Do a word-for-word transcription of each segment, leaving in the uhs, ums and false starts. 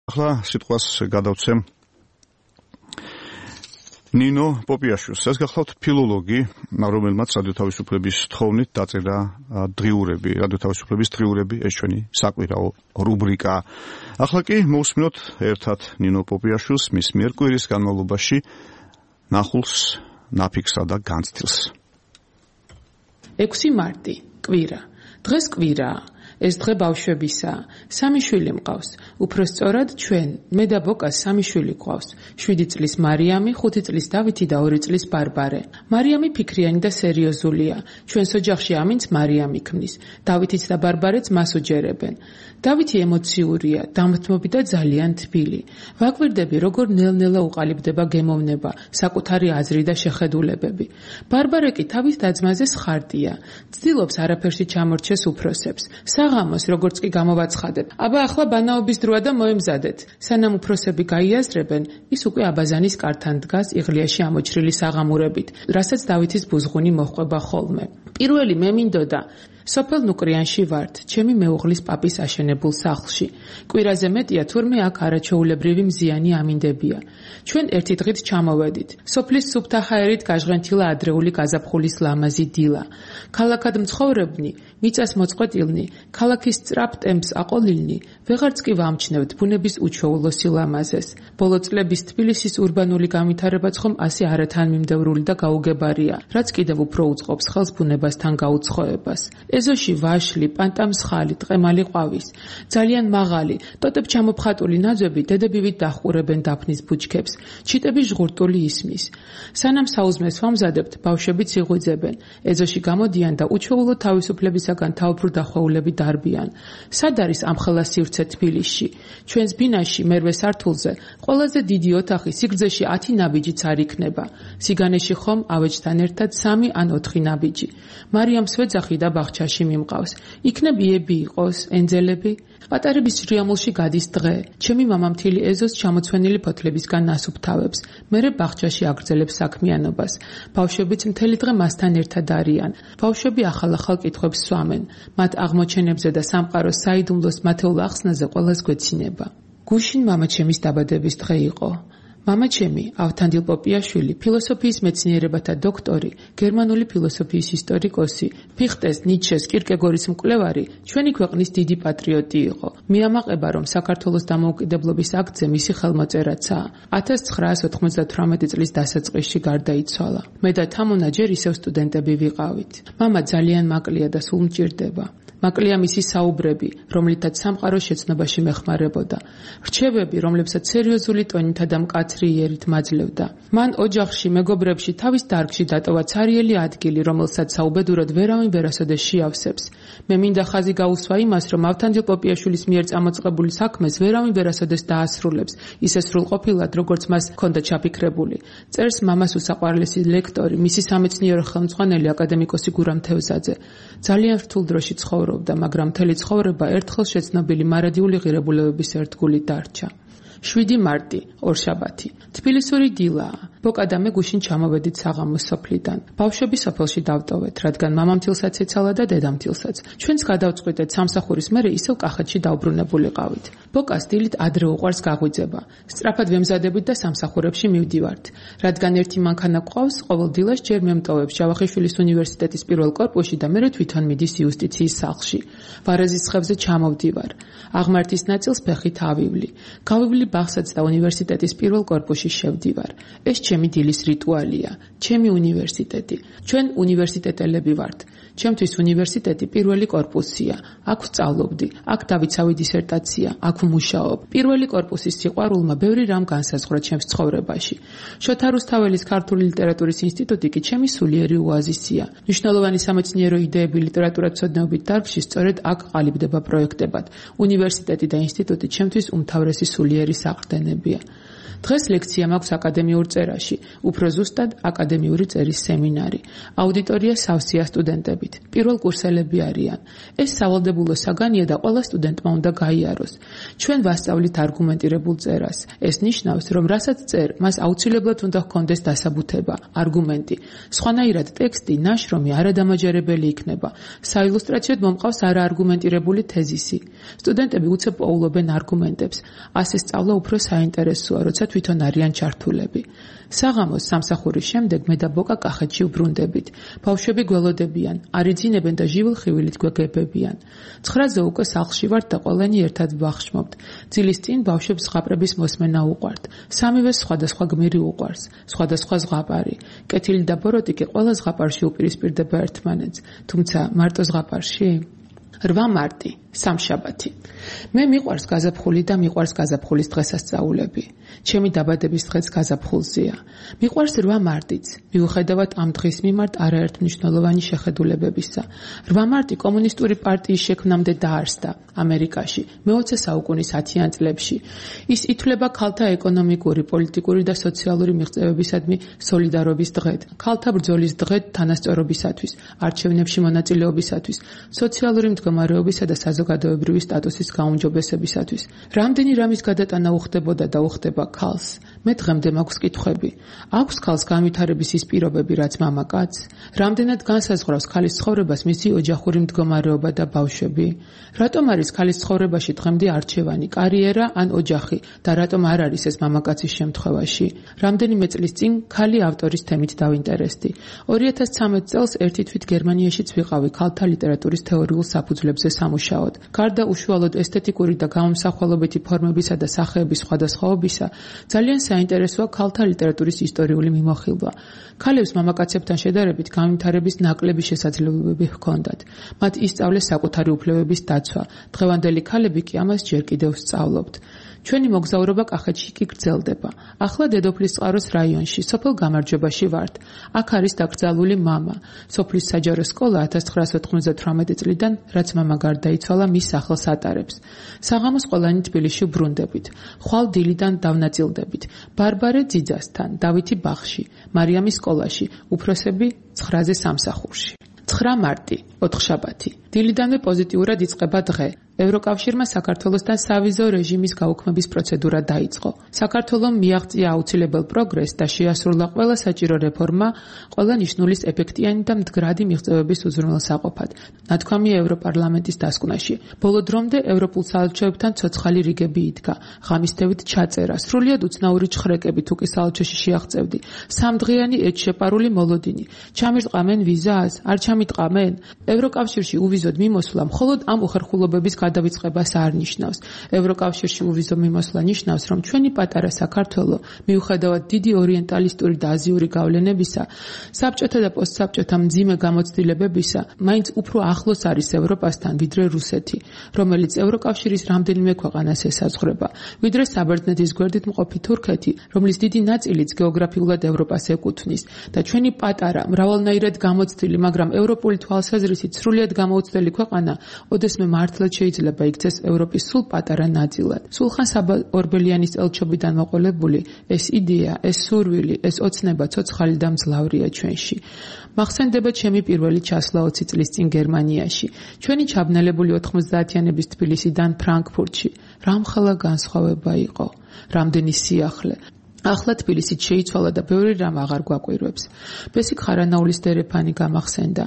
ახლა სიტყვას გადავცემ ნინო პოპიაშვილს. ეს გახლავთ ფილოლოგი, რომელმაც რადიო თავისუფლების თხოვნით დაწერა დღიურები, რადიო თავისუფლების დღიურები, ეს ჩვენი საკვირაო რუბრიკა. ახლა კი მოვსმინოთ ერთად ნინო პოპიაშვილს მის მიერ კვირის განმავლობაში ნახულს, ნაფიქსა და განცდილს. ექვსი მარტი, კვირა. დღეს კვირაა. ეს დღე ბავშვებისაა. სამი შვილი მყავს. უფრო სწორად ჩვენ, მე და ბოკას სამი შვილი გვყავს. შვიდი წლის მარიამი, ხუთი წლის დავითი და ორი წლის ბარბარე. მარიამი ფიქრიანი და სერიოზულია. ჩვენს ოჯახში ამინც მარიამი ქმნის. დავითიც და ბარბარეც მას უჯერებენ. დავითი ემოციურია, დამთმობი და ძალიან თბილი. ვაკვირდები, როგორ ნელ-ნელა უყალიბდება გემოვნება, საკუთარი აზრი და შეხედულებები. ბარბარე კი თავის და-ძმაზე სხარტია. ცდილობს არაფერში ჩამორჩეს უფროსებს. საღამოს, როგორც კი გამოვაცხადებ. აბა ახლა ბანაობის დროა და მოემზადეთ. სანამ უფროსები გაიაზრებენ, ის უკვე აბაზანის კართან დგას იღლიაში ამოჭრილი საღამურებით, რასაც დავითის ბუზღუნი მოჰყვება ხოლმე. პირველი მე მინდოდა სოფელ ნუკრიანში ვართ, ჩემი მეუღლის პაპის აშენებულ სახლში. კვირაზე მეტია, თურმე აქ არაჩვეულებრივი მზიანი ამინდებია. ჩვენ ერთი დღით ჩამოვედით. სოფლის სუფთა ჰაერით გაჟღენთილა ადრეული გაზაფხულის ლამაზი დილა. ქალაქად მცხოვრებნი, მიწას მოწყვეტილნი, ქალაქის სწრაფ ტემპს აყოლილნი, ვეღარც კი ვამჩნევთ ბუნების უჩვეულო სილამაზეს. ბოლო წლების თბილისის ურბანული განვითარებაც ხომ ასე არათანმიმდევრული და გაუგებარია, რაც კიდევ უფრო უწყობს ხელს ბუნებასთან გაუცხოებას. ეზოში ვაშლი, პანტამსხალი, ტყემალი ყვავის. ძალიან მაღალი, ტოტებ ჩამოფხატული ნაძვები დედებივით დახურებენ დაფნის ბუჩქებს. ჩიტები ჟღურტული ისმის. სანამ საუზმეს ვამზადებთ, ბავშვებიც იღვიძებენ. ეზოში გამოდიან და უჩვეულო თავისუფლებისაგან თავბრუ დახვეულები დარბიან. სად არის ამხელა სივრცე თბილისში? ჩვენს ბინაში მერვე სართულზე ყველაზე დიდი ოთახი სიგრძეში ათი ნაბიჯიც არ იქნება. სიგანეში ხომ ავეჯთან ერთად სამი ან ოთხი ნაბიჯი. მარიამს ვეძახი და ბაღჩაში მიმყავს. იქნებ იები იყოს, ენძელები? პატარების ჟრიამულში გადის დღე. ჩემი მამა მთელი ეზოს ჩამოცვენილი ფოთლებისგან ნასუფთავებს. მერე ბაღჩაში აგრძელებს საქმიანობას. ბავშვებიც მთელი დღე მასთან ერთად არიან. ბავშვები ახალ-ახალ კითხვებს სვამენ. მათ აღმოჩენებზე და სამყაროს საიდუმლოს მათეულ ახსნაზე ყველას გვეცინება. გუშინ მამაჩემის დაბადების დღე იყო. მამაჩემი, ავთანდილ პოპიაშვილი, ფილოსოფიის მეცნიერებათა დოქტორი, გერმანული ფილოსოფიის ისტორიკოსი, ფიხტეს, ნიცშეს, კირკეგორის მკვლევარი, ჩვენი ქვეყნის დიდი პატრიოტი იყო. მიამაყება, რომ საქართველოს დამოუკიდებლობის აქტზე მისი ხელმოწერაცაა. ათას ცხრაას ოთხმოცდათვრამეტი წლის დასაწყისში გარდაიცვალა. მე და თამუნა ჯერ ისევ სტუდენტები ვიყავით. მამა ძალიან მაკლია და სულ მჭირდება. მაკლია მისი საუბრები, რომლითაც სამყაროს შეცნობაში მეხმარებოდა. რჩევები, რომლებსაც სერიოზული ტონითა და მკაცრი იერით მაძლევდა. მან ოჯახში, მეგობრებში, თავის დარგში დატოვა ცარიელი ადგილი, რომელსაც საუბედურად ვერავინ ვერასოდეს შეავსებს. მე მინდა ხაზი გაუსვა იმას, რომ ავთანდილ პოპიაშვილის მიერ წამოწყებული საქმეს ვერავინ ვერასოდეს დაასრულებს, ისე სრულყოფილად, როგორც მას ჰქონდა ჩაფიქრებული. წერს მამას უსაყვარლესი ლექტორი, მისი სამეცნიერო ხელმძღვანელი აკადემიკოსი გურამ თევზაძე. ძალიან რთულ დროში ცხოვრობდა, მაგრამ მთელი ცხოვრება ერთხელ შეცნობილი მარადიული ღირებულებების ერთგული დარჩა. შვიდი მარტი, ორშაბათი. თბილისური დილაა. ბოკა და მე გუშინ ჩამოვედით საღამოს სოფლიდან. ბავშვები სოფელში დავტოვეთ, რადგან მამამთილსაც ეცალა და დედამთილსაც. ჩვენც გადავწყვიტეთ სამსახურის მერე ისევ კახეთში დავბრუნებულიყავით. ბოკას დილით ადრე უყვარს გაღვიძება. სწრაფად ვემზადებით და სამსახურებში მივდივართ. რადგან ერთი მანქანა გვყავს, ყოველ დილას ჯერ მემტოვებს ჯავახიშვილის უნივერსიტეტის პირველ კორპუსში და მერე თვითონ მიდის იუსტიციის სახლში. ვარეზის ხევზე ჩამოვდივარ. აღმართის ნაწილს ფეხით ავივლი. გავივლი ბაღსაც და უნივერსიტეტის პირველ კორპუსში შევდივარ. ეს ჩემი დილის რიტუალია, ჩემი უნივერსიტეტი. ჩვენ უნივერსიტეტელები ვართ. ჩემთვის უნივერსიტეტი პირველი კორპუსია. აქ ვსწავლობდი, აქ დავიცავი დისერტაცია, აქ ვმუშაობ. პირველი კორპუსის სიყვარულმა ბევრი რამ განსაზღვრა ჩემს ცხოვრებაში. შოთა რუსთაველის ქართული ლიტერატურის ინსტიტუტი კი ჩემი სულიერი ოაზისია. მნიშვნელოვანი სამეცნიერო იდეები ლიტერატურათმცოდნეობით დარგში სწორედ აქ ყალიბდება პროექტებად. უნივერსიტეტი და ინსტიტუტი ჩემთვის უმთავრესი სულიერი საყრდენებია. დღეს ლექცია მაქვს აკადემიურ წერაში, უფრო ზუსტად აკადემიური წერის სემინარი. აუდიტორია სავსეა სტუდენტებით. პირველ კურსელები არიან. ეს სავალდებულო საგანია და ყველა სტუდენტმა უნდა გაიაროს. ჩვენ ვასწავლით არგუმენტირებულ წერას. ეს ნიშნავს, რომ რასაც წერ, მას აუცილებლად უნდა ჰქონდეს დასაბუთება, არგუმენტი. სხვანაირად ტექსტი, ნაშრომი არადამაჯერებელი იქნება. საილუსტრაციოდ მომყავს არაარგუმენტირებული თეზისი. სტუდენტები უცებ პოულობენ არგუმენტებს. ასე სწავლა უფრო საინტერესოა, როცა თვითონ არიან ჩართულები. საღამოს სამსახურის შემდეგ მე და ბოკა კახეთში ვბრუნდებით. ბავშვები გველოდებიან, არიძინებენ და ჟივილ-ხივილით გვეგებებიან. ცხრაზე უკვე სახლში ვართ და ყველანი ერთად ვახშმობთ. ძილის წინ ბავშვებს ზღაპრების მოსმენა უყვართ. სამივეს სხვადასხვა გმირი უყვარს, სხვადასხვა ზღაპარი. კეთილი და ბოროტი კი ყველა ზღაპარში უპირისპირდება ერთმანეთს, თუმცა მარტო ზღაპარში? რვა მარტი, სამშაბათი. მე მიყვარს გაზაფხული და მიყვარს გაზაფხულის დღესასწაულები. ჩემი დაბადების დღეც გაზაფხულზეა. მიყვარს რვა მარტიც, მიუხედავად ამ დღის მიმართ არაერთმნიშვნელოვანი შეხედულებებისა. რვა მარტი კომუნისტური პარტიის შექმნამდე დაარსდა ამერიკაში, მეოცე საუკუნის ათიან წლებში. ის ითვლება ქალთა ეკონომიკური, პოლიტიკური და სოციალური მიღწევებისადმი სოლიდარობის დღედ, ქალთა ბრძოლის დღედ თანასწორობისათვის, არჩევნებში მონაწილეობისათვის, სოციალური მდგომარეობისა და საზოგადოებრივი სტატუსის გაუმჯობესებისათვის. რამდენი რამის გადატანა უხდებოდა და უხდება ქალს? მე დღემდე მაქვს კითხვები. აქვს ქალს განვითარების ის პირობები, რაც მამაკაცს? რამდენად განსაზღვრავს ქალის ცხოვრებას მისი ოჯახური მდგომარეობა და ბავშვები? რატომ არის ქალის ცხოვრებაში დღემდე არჩევანი, კარიერა ან ოჯახი და რატომ არ არის ეს მამაკაცის შემთხვევაში? რამდენიმე წლის წინ ქალი ავტორის თემით დავინტერესდი. ორი ათას ცხრამეტ წელს ერთი თვით გერმანიაშიც ვიყავი ქალთა ლიტერატურის თეორიულ საფუძვლებზე სამუშაოდ. გარდა უშუალოდ ესთეტიკური და გამომსახველობითი ფორმებისა და სახეების სხვადასხვაობისა, ძალიან საინტერესოა ქალთა ლიტერატურის ისტორიული მიმოხილვა. ქალებს მამაკაცებთან შედარებით განვითარების ნაკლები შესაძლებლობები ჰქონდათ. მათ ისწავლეს საკუთარი უფლებების დაცვა. დღევანდელი ქალები კი ამას ჯერ კიდევ სწავლობთ. ჩვენი მოგზაურობა კახეთში კი გრძელდება. ახლა დედოფლის წყაროს რაიონში, სოფელ გამარჯვებაში ვართ. აქ არის დაკრძალული მამა. სოფლის საჯარო სკოლა ათას ცხრაასი ოთხმოცდათვრამეტი წლიდან, რაც მამა გარდაიცვალა, მის სახელს ატარებს. საღამოს ყველანი თბილისში ვბრუნდებით. ხვალ დილიდან დავნაწილდებით. ბარბარე ძიძასთან, დავითი ბაღში, მარიამის სკოლაში, უფროსები ცხრაზე სამსახურში. ცხრა მარტი, ოთხშაბათი. დილიდანვე პოზიტიურად იწყება დღე. ევროკავშირმა საქართველოსთან სავიზო რეჟიმის გაუქმების პროცედურა დაიწყო. საქართველომ მიაღწია აუცილებელ პროგრესს და შეასრულა ყველა საჭირო რეფორმა, ყველა ნიშნულის ეფექტიანი და მდგრადი მიღწევების უზრუნველსაყოფად. ნათქვამია ევროპარლამენტის დასკვნაში. ბოლო დრომდე ევროპულ საელჩოებთან ცოცხალი რიგები იდგა. ღამისდევით ჩაწერა, სრულიად უცნაური ჩხრეკები თუ კი საელჩოში შეაღწევდი. სამდღიანი ეჭშეპარული მოლოდინი. ჩამირტყამენ ვიზას, არ ჩამიტყამენ? ევროკავშირში უვიზოდ მიმოსვლა მხოლოდ ამ უხერხულობების გადავიწყებას არ ნიშნავს. ევროკავშირში უვიზო მიმოსვლა ნიშნავს, რომ ჩვენი პატარა საქართველო, მიუხედავად დიდი ორიენტალისტური და აზიური გავლენებისა, საბჭოთა და პოსტსაბჭოთა მძიმე გამოცდილებებისა, მაინც უფრო ახლოს არის ევროპასთან, ვიდრე რუსეთი, რომელიც ევროკავშირის რამდენიმე ქვეყანას ესაზღვრება, ვიდრე საბერძნეთის გვერდით მყოფი თურქეთი, რომლის დიდი ნაწილიც გეოგრაფიულად ევროპას ეკუთვნის და ჩვენი პატარა, მრავალნაირად გამოცდილი, მაგრამ ევროპული თვალსაზრისით სრულიად გამოუცდელი ქვეყანა, ოდესმე მართლაც შეიძლება იქცეს ევროპის სულ პატარა ნაწილად. სულხან საბა ორბელიანის ელჩობიდან მოყოლებული ეს იდეა, ეს სურვილი, ეს ოცნება ცოცხალი და მძლავრია ჩვენში. მახსენდება ჩემი პირველი ჩასვლა ოცი წლის წინ გერმანიაში. ჩვენი ჩაბნელებული ოთხმოცდაათიანების თბილისიდან ფრანკფურტში. რამხელა განსხვავება იყო, რამდენი სიახლე. ახლა თბილისით შეიცვალა და ბევრი რამ აღარ გვაკვირვებს. ბესიკ ხარანაულის დერეფანი გამახსენდა.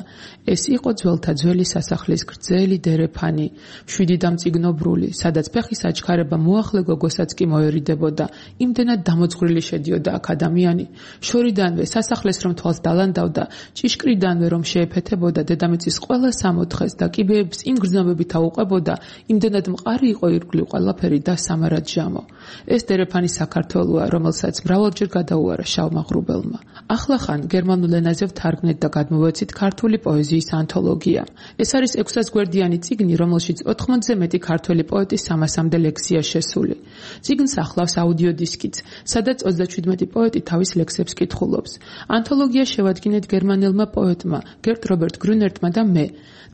ეს იყო ძველთა ძველი სასახლის გრძელი დერეფანი, შვიდი დამწიგნობრული, სადაც ფეხის აჩქარება მოახლე გოგოსაც კი მოერიდებოდა. იმდენად დამოძღვრილი შედიოდა აქ ადამიანი. შორიდანვე სასახლეს რომ თვალს დალანდავდა, ჭიშკრიდანვე რომ შეეფეთებოდა დედამიწის ყველა სამოთხეს და კიბეებს იმ გრძნობებით აუყვებოდა, იმდენად მყარი იყო ირგვლივ ყველაფერი და სამარად ჟამო. ეს დერეფანი საქართველოა, რომელსაც მრავალჯერ გადაუარა შავმა ღრუბელმა. ახლა ხან გერმანულ ენაზე ვთარგმნეთ და გადმოვეცით ქართული პოეზიის ანთოლოგია. ეს არის ექვსას გვერდიანი წიგნი, რომელშიც ოთხმოცზე მეტი ქართველი პოეტის სამასამდე ლექსია შესული. წიგნს ახლავს აუდიო დისკიც, სადაც ოცდაშვიდმეტი პოეტი თავის ლექსებს კითხულობს. ანთოლოგია შევადგინეთ გერმანელმა პოეტმა, გერტ რობერტ გრუნერტმა და მე.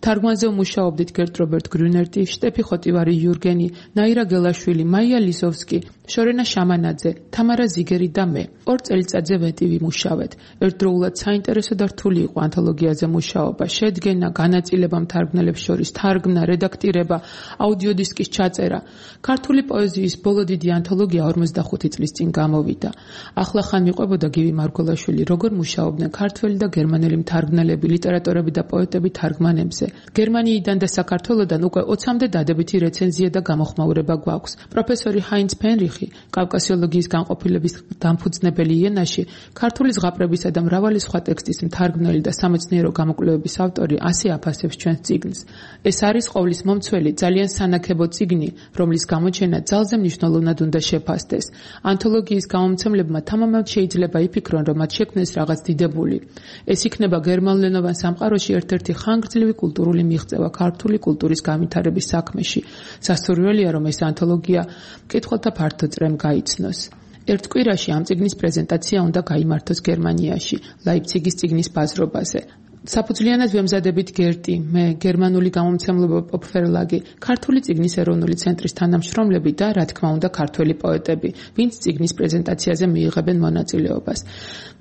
თარგმანზე ვმუშაობდით გერტ რობერტ გრუნერტი, შტეფი ხოტივარი იურგენი, ნაირა გელაშვილი, მაია ლიზოვსკი, შორენა შამანაძე, თამარა ზიგერი და მე. ორ წელიწადზე ვეტი ვიმუშავეთ. ერთდროულად საინტერესო და რთული იყო ანთოლოგიაზე მუშაობა. შედგენა, განაწილება მთარგმნელებს შორის, თარგმნა, რედაქტირება, აუდიოდისკის ჩაწერა. ქართული პოეზიის ბოლო დიდი ანთოლოგია ორმოცდახუთი წლის წინ გამოვიდა. ახლახან მიყვებოდა გივი მარგველაშვილი, როგორ მუშაობდნენ ქართველი და გერმანელი მთარგმნელები, ლიტერატორები და პოეტები თარგმანებზე. გერმანიიდან და საქართველოდან უკვე ოცამდე დადებითი რეცენზია და გამოხმაურება გვაქვს. პროფესორი ჰაინც ფენრიხი, კავკასიოლოგიის განყოფილების დამფუძნებელი იენაში, ქართული ზღაპრებისა და მრავალი სხვა ტექსტის მთარგმნელი და სამეცნიერო გამოკვლევების ავტორი ასე აფასებს ჩვენს წიგნს. ეს არის ყოვლის მომცველი, ძალიან სანაქებო წიგნი, რომლის გამოჩენა ძალზე მნიშვნელოვნად უნდა შეფასდეს. ანთოლოგიის გამომცემლებმა თამამად შეიძლება იფიქრონ, რომ მათ შექმნეს რაღაც დიდებული. ეს იქნება გერმანულენოვან სამყაროში ერთ-ერთი ხანგრძლივი კულტურული მიღწევა ქართული კულტურის განვითარების საქმეში. სასურველია, რომ ეს ანთოლოგია მკითხველთა ფართო წრემ გაიცნოს. ერთ კვირაში ამ წიგნის პრეზენტაცია უნდა გაიმართოს გერმანიაში, ლაიფციგის წიგნის ბაზრობაზე. საფუძვლიანად ვემზადებით გერტი, მე, გერმანული გამომცემლობა პოპფერლაგი, ქართული წიგნის ეროვნული ცენტრის თანამშრომლები და, რა თქმა უნდა, ქართველი პოეტები, ვინც წიგნის პრეზენტაციაზე მიიღებენ მონაწილეობას.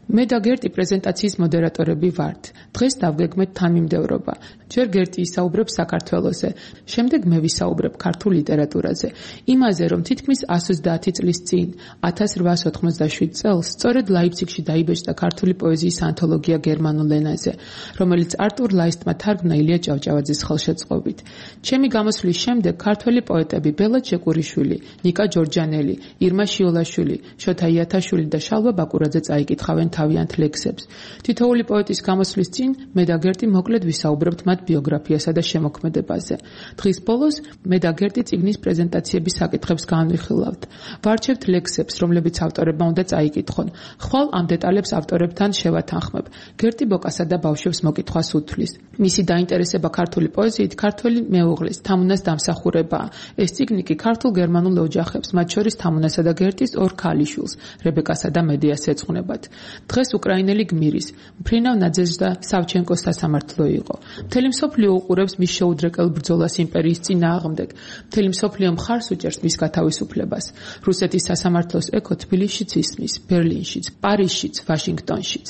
მე და გერტი პრეზენტაციის მოდერატორები ვართ. დღეს დავგეგმეთ თანმიმდევრობა. ჯერ გერტი ისაუბრებს საქართველოზე, შემდეგ მე ვისაუბრებ ქართულ ლიტერატურაზე. იმაზე, რომ თითქმის ასი ოცდაათი წლის წინ, ათას რვაასი ოთხმოცდაშვიდ წელს, სწორედ ლაიფციგში დაიბეჭდა ქართული პოეზიის ანთოლოგია გერმანულ ენაზე, რომელიც არტურ ლაისტმა თარგმნა ილია ჭავჭავაძის ხელშეწყობით. ჩემი გამოსვლის შემდეგ ქართველი პოეტები ბელა ჩეკურიშვილი, ნიკა ჯორჯანელი, ირმა შიოლაშვილი, შოთა იათაშვილი და შალვა ბაკურაძე წაიკითხავენ თავიანთ ლექსებს. თითოეული პოეტის გამოსვლის წინ მე და გერტი მოკლედ ვისაუბრებთ მათ ბიოგრაფიასა და შემოქმედებაზე. დღის ბოლოს მე და გერტი წიგნის პრეზენტაციების საკითხებს განვიხილავთ. ვარჩევთ ლექსებს, რომლებიც ავტორებმა უნდა წაიკითხონ. ხვალ ამ დეტალებს ავტორებთან შევათანხმებ. გერტი ბოკასა და ბავშვებს მოკითხვას უთვლის. მისი დაინტერესება ქართული პოეზიით ქართველი მეუღლის, თამუნას დამსახურებაა. ეს წიგნი კი ქართულ-გერმანულ ოჯახებს, მათ შორის თამუნასა და გერტის ორ ქალიშვილს, რებეკასა და მედიას ეძღვნებათ. დღეს უკრაინელი გმირის, მფრინავ ნაძეჟდა სავჩენკოს სასამართლო იყო. მთელი მსოფლიო უყურებს მის შეუდრეკელ ბრძოლას იმპერიის წინააღმდეგ. მთელი მსოფლიო მხარს უჭერს მის გათავისუფლებას. რუსეთის სასამართლოს ეკო თბილისშიც ისმის, ბერლინშიც, პარიზშიც, ვაშინგტონშიც.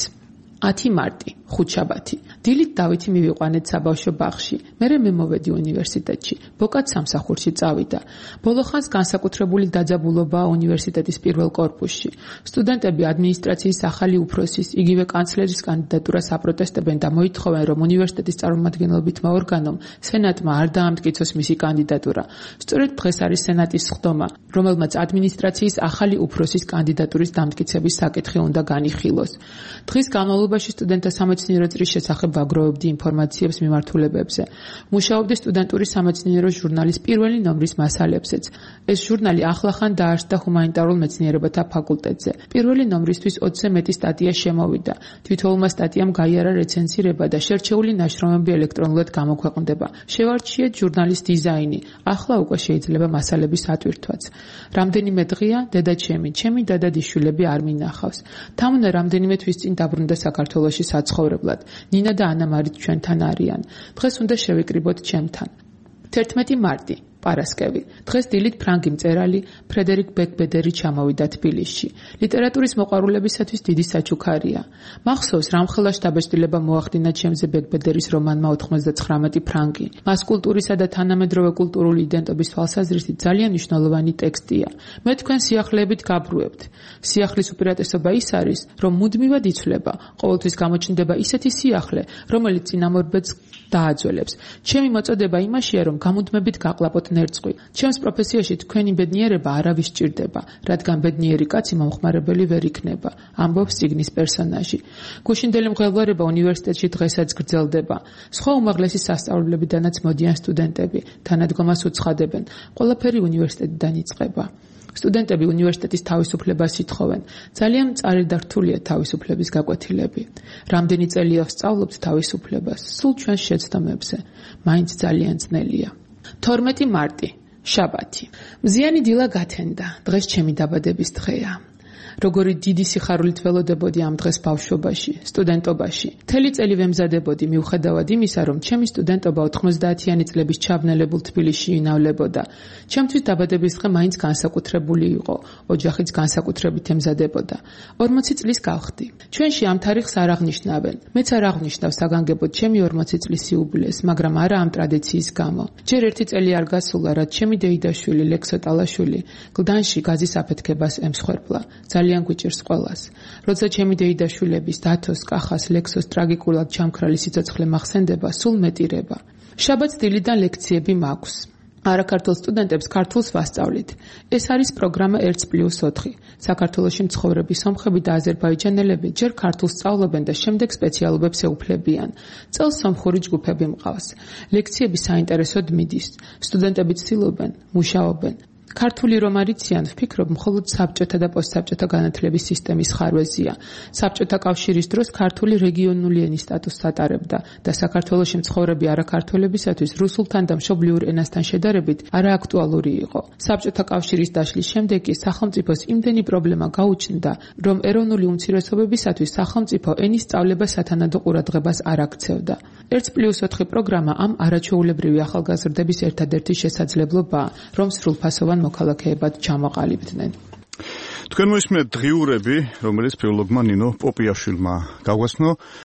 ათი მარტი, ხუთშაბათი. დილით დავითი მივიყვანეთ საბავშვო ბაღში. მერე მე მოვედი უნივერსიტეტში. ბოკაც სამსახურში წავიდა. ბოლოხანს განსაკუთრებული დაძაბულობა უნივერსიტეტის პირველ კორპუსში. სტუდენტები ადმინისტრაციის ახალი უფროსის, იგივე კანცლერის კანდიდატურას აპროტესტებენ და მოითხოვენ, რომ უნივერსიტეტის წარმომადგენლობითმა ორგანომ, სენატმა არ დაამტკიცოს მისი კანდიდატურა. სწორედ დღეს არის სენატის სხდომა, რომელმაც ადმინისტრაციის ახალი უფროსის კანდიდატურის დამტკიცების საკითხი უნდა განიხილოს. დღის განმავლობაში სტუდენტთა სამეცნიერო წრის შესახებ ვაგროვებდი ინფორმაციებს მიმართულებებზე. მუშაობდი სტუდენტური სამეცნიერო ჟურნალის პირველი ნომრის მასალებზეც. ეს ჟურნალი ახლახან დაარსდა ჰუმანიტარულ მეცნიერებათა ფაკულტეტზე. პირველი ნომრისთვის ოცზე მეტი სტატია შემოვიდა. თითოეულმა სტატიამ გაიარა რეცენზირება და შერჩეული ნაშრომები ელექტრონულად გამოქვეყნდება. შევარჩიეთ ჟურნალის დიზაინი. ახლა უკვე შეიძლება მასალების ატვირთვაც. რამდენიმე დღეა დედაჩემი, ჩემი დადადიშვილები არ მინახავს. თამუნა რამდენიმე თვის წინ დაბრუნდა საქართველოში საცხოვრებლად. ნინა და ანა მარიც ჩვენთან არიან. დღეს უნდა შევიკრიბოთ ჩემთან. თერთმეტი მარტი, პარასკევი. დღეს დილით ფრანგი მწერალი ფრედერიკ ბეკბედერი ჩამოვიდა თბილისში. ლიტერატურის მოყვარულებისათვის დიდი საჩუქარია. მახსოვს, რამხელა შთაბეჭდილება მოახდინა ჩემზე ბეკბედერის რომანმა ოთხმოცდაცხრამეტი ფრანგი. მას კულტურისა და თანამედროვე კულტურული იდენტობის თვალსაზრისით ძალიან მნიშვნელოვანი ტექსტია. მე თქვენ სიახლეებით გაბრუებთ. სიახლის უპირატესობა ის არის, რომ მუდმივად იცვლება, ყოველთვის გამოჩნდება ისეთი სიახლე, რომელიც წინამორბედს დააძველებს. ჩემი მოწოდება იმაშია, რომ გამუდმებით გაყლაპოთ ნერწყვი. ჩემს პროფესიაში თქვენი ბედნიერება არავის სჭირდება, რადგან ბედნიერი კაცი მომხმარებელი ვერ იქნება, ამბობს წიგნის პერსონაჟი. გუშინდელი მღელვარება უნივერსიტეტში დღესაც გრძელდება. სხვა უმაღლესი სასწავლებლებიდანაც მოდიან სტუდენტები, თანადგომას უცხადებენ. ყველაფერი უნივერსიტეტიდან იწყება. სტუდენტები უნივერსიტეტის თავისუფლებას ითხოვენ. ძალიან მწარი და რთულია თავისუფლების გაკვეთილები. რამდენი წელია ვსწავლობთ თავისუფლებას, სულ ჩვენს შეცდომებზე. მაინც ძალიან ძნელია. თორმეტი მარტი, შაბათი. მზიანი დილა გათენდა. დღეს ჩემი დაბადების დღეა. როგორი დიდი სიხარულით ველოდებოდი ამ დღეს ბავშვობაში, სტუდენტობაში. მთელი წელი ვემზადებოდი მიუხედავად იმისა, რომ ჩემი სტუდენტობა ოთხმოცდაათიანი წლების ჩაბნელებულ თბილისში ინავლებოდა. ჩემთვის დაბადების დღე მაინც განსაკუთრებული იყო, ოჯახიც განსაკუთრებით ემზადებოდა. ორმოცი წლის გავხდი. ჩვენში ამ თარიღს არ აღნიშნავენ. მეც არ აღნიშნავ საგანგებოდ ჩემი ორმოცი წლის იუბილეს, მაგრამ არა ამ ტრადიციის გამო. ჯერ ერთი წელი არ გასულა, რაც ჩემი დეიდაშვილი ლექსო ტალაშვილი გლდანში გაზის აფეთქებას ემსხვერპლა. ძალიან გვიჭირს ყველას. როცა ჩემი დეიდაშვილების დათოს, კახას, ლექსოს ტრაგიკულად ჩამქრალი სიცოცხლე მახსენდება, სულ მეტირება. შაბათს დილიდან ლექციები მაქვს. არაქართულ სტუდენტებს ქართულს ვასწავლით. ეს არის პროგრამა ერთი პლუს ოთხი. საქართველოში მცხოვრები სომხები და აზერბაიჯანელები ჯერ ქართულს სწავლობენ და შემდეგ სპეციალობებს ეუფლებიან. წელს სომხური ჯგუფები მყავს. ლექციები საინტერესოდ მიდის. სტუდენტები ცდილობენ, მუშაობენ. ქართული რომ არიციან, ვფიქრობ, მხოლოდ საბჭოთა და პოსტსაბჭოთა განათლების სისტემის ხარვეზია. საბჭოთა კავშირის დროს ქართული რეგიონული ენის სტატუსს ატარებდა და საქართველოში მცხოვრები არაქართველებისათვის რუსულთან და მშობლიურ ენასთან შედარებით არააქტუალური იყო. საბჭოთა კავშირის დაშლის შემდეგ კი სახელმწიფოს იმდენი პრობლემა გაუჩნდა, რომ ეროვნული უმცირესობებისათვის სახელმწიფო ენის სწავლება სათანადო ყურადღებას არ აქცევდა. ერთი პლუს ოთხი პროგრამა ამ არაჩვეულებრივი ახალგაზრდების ერთადერთი შესაძლებლობაა, რომ სრულფასოვან მოქალაქეებად ჩამოყალიბდნენ. თქვენ მოისმენთ დღიურები, რომელიც ფილოლოგმა ნინო პოპიაშვილმა გავგაცნო.